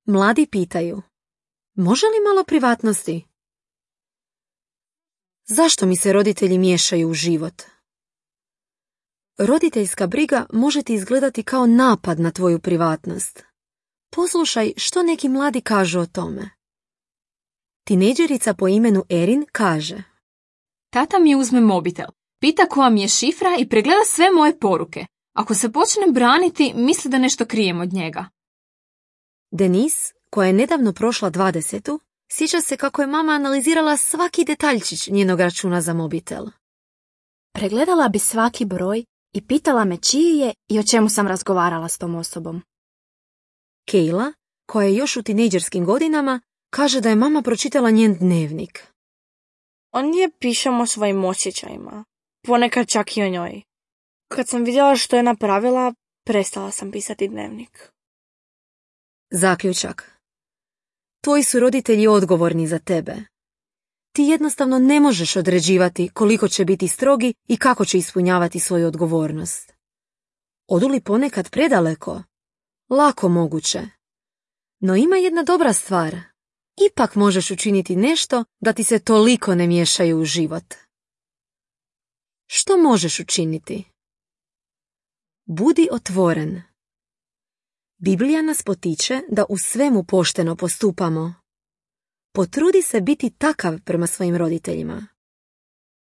Mladi pitaju, može li malo privatnosti? Zašto mi se roditelji miješaju u život? Roditeljska briga može ti izgledati kao napad na tvoju privatnost. Poslušaj što neki mladi kažu o tome. Tinejdžerica po imenu Erin kaže: Tata mi uzme mobitel, pita koja mi je šifra i pregleda sve moje poruke. Ako se počnem braniti, misli da nešto krijem od njega. Denise, koja je nedavno prošla 20, sjeća se kako je mama analizirala svaki detaljčić njenog računa za mobitel. Pregledala bi svaki broj i pitala me čiji je i o čemu sam razgovarala s tom osobom. Kayla, koja je još u tinejdžerskim godinama, kaže da je mama pročitala njen dnevnik. Ondje pišemo o svojim osjećajima, ponekad čak i o njoj. Kad sam vidjela što je napravila, prestala sam pisati dnevnik. Zaključak. Tvoji su roditelji odgovorni za tebe. Ti jednostavno ne možeš određivati koliko će biti strogi i kako će ispunjavati svoju odgovornost. Odu li ponekad predaleko? Lako moguće. No ima jedna dobra stvar. Ipak možeš učiniti nešto da ti se toliko ne miješaju u život. Što možeš učiniti? Budi otvoren. Biblija nas potiče da u svemu pošteno postupamo. Potrudi se biti takav prema svojim roditeljima.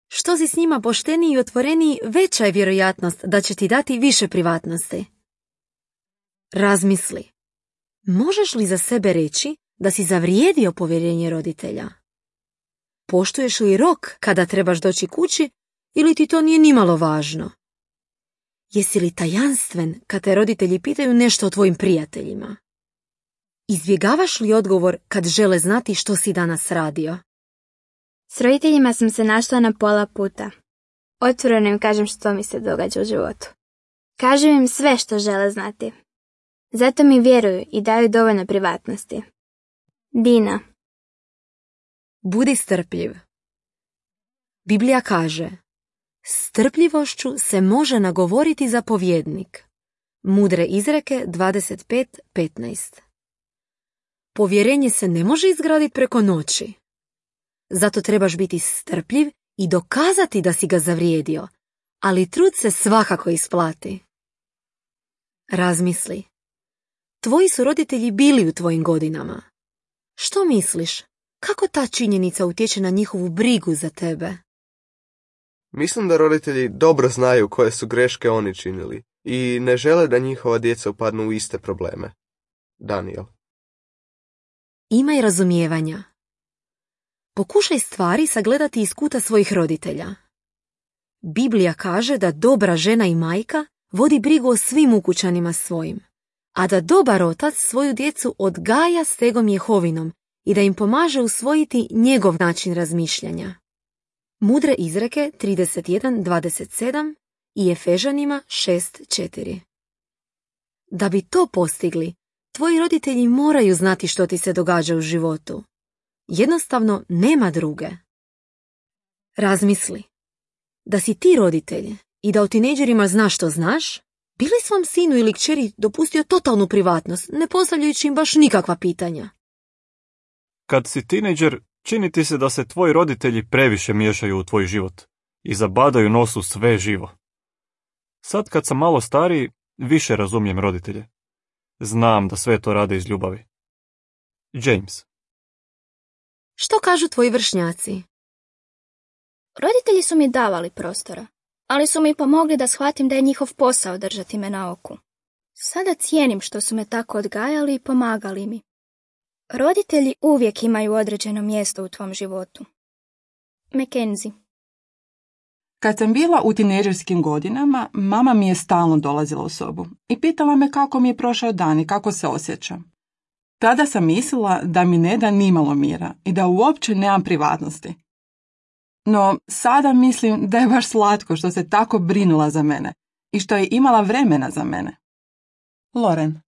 Što si s njima pošteniji i otvoreniji, veća je vjerojatnost da će ti dati više privatnosti. Razmisli. Možeš li za sebe reći da si zavrijedio povjerenje roditelja? Poštuješ li rok kada trebaš doći kući ili ti to nije nimalo važno? Jesi li tajanstven kad te roditelji pitaju nešto o tvojim prijateljima? Izbjegavaš li odgovor kad žele znati što si danas radio? S roditeljima sam se našla na pola puta. Otvoreno im kažem što mi se događa u životu. Kažem im sve što žele znati. Zato mi vjeruju i daju dovoljno privatnosti. Dina. Budi strpljiv. Biblija kaže: strpljivošću se može nagovoriti zapovjednik. Mudre izreke 25:15. Povjerenje se ne može izgraditi preko noći. Zato trebaš biti strpljiv i dokazati da si ga zavrijedio, ali trud se svakako isplati. Razmisli. Tvoji su roditelji bili u tvojim godinama. Što misliš? Kako ta činjenica utječe na njihovu brigu za tebe? Mislim da roditelji dobro znaju koje su greške oni činili i ne žele da njihova djeca upadnu u iste probleme. Daniel. Imaj razumijevanja. Pokušaj stvari sagledati iz kuta svojih roditelja. Biblija kaže da dobra žena i majka vodi brigu o svim ukućanima svojim, a da dobar otac svoju djecu odgaja stegom Jehovinom i da im pomaže usvojiti njegov način razmišljanja. Mudre izreke 31:27 i Efežanima 6:4. Da bi to postigli, tvoji roditelji moraju znati što ti se događa u životu. Jednostavno nema druge. Razmisli. Da si ti roditelj i da o tinejdžerima znaš što znaš, bi li svom sinu ili kćeri dopustio totalnu privatnost, ne postavljajući im baš nikakva pitanja? Kad si tinejdžer, čini ti se da se tvoji roditelji previše miješaju u tvoj život i zabadaju nos u sve živo. Sad kad sam malo stariji, više razumijem roditelje. Znam da sve to rade iz ljubavi. James. Što kažu tvoji vršnjaci? Roditelji su mi davali prostora, ali su mi pomogli da shvatim da je njihov posao držati me na oku. Sada cijenim što su me tako odgajali i pomagali mi. Roditelji uvijek imaju određeno mjesto u tvom životu. Mackenzie. Kad sam bila u tinejdžerskim godinama, mama mi je stalno dolazila u sobu i pitala me kako mi je prošao dan i kako se osjećam. Tada sam mislila da mi ne da nimalo mira i da uopće nemam privatnosti. No, sada mislim da je baš slatko što se tako brinula za mene i što je imala vremena za mene. Loren.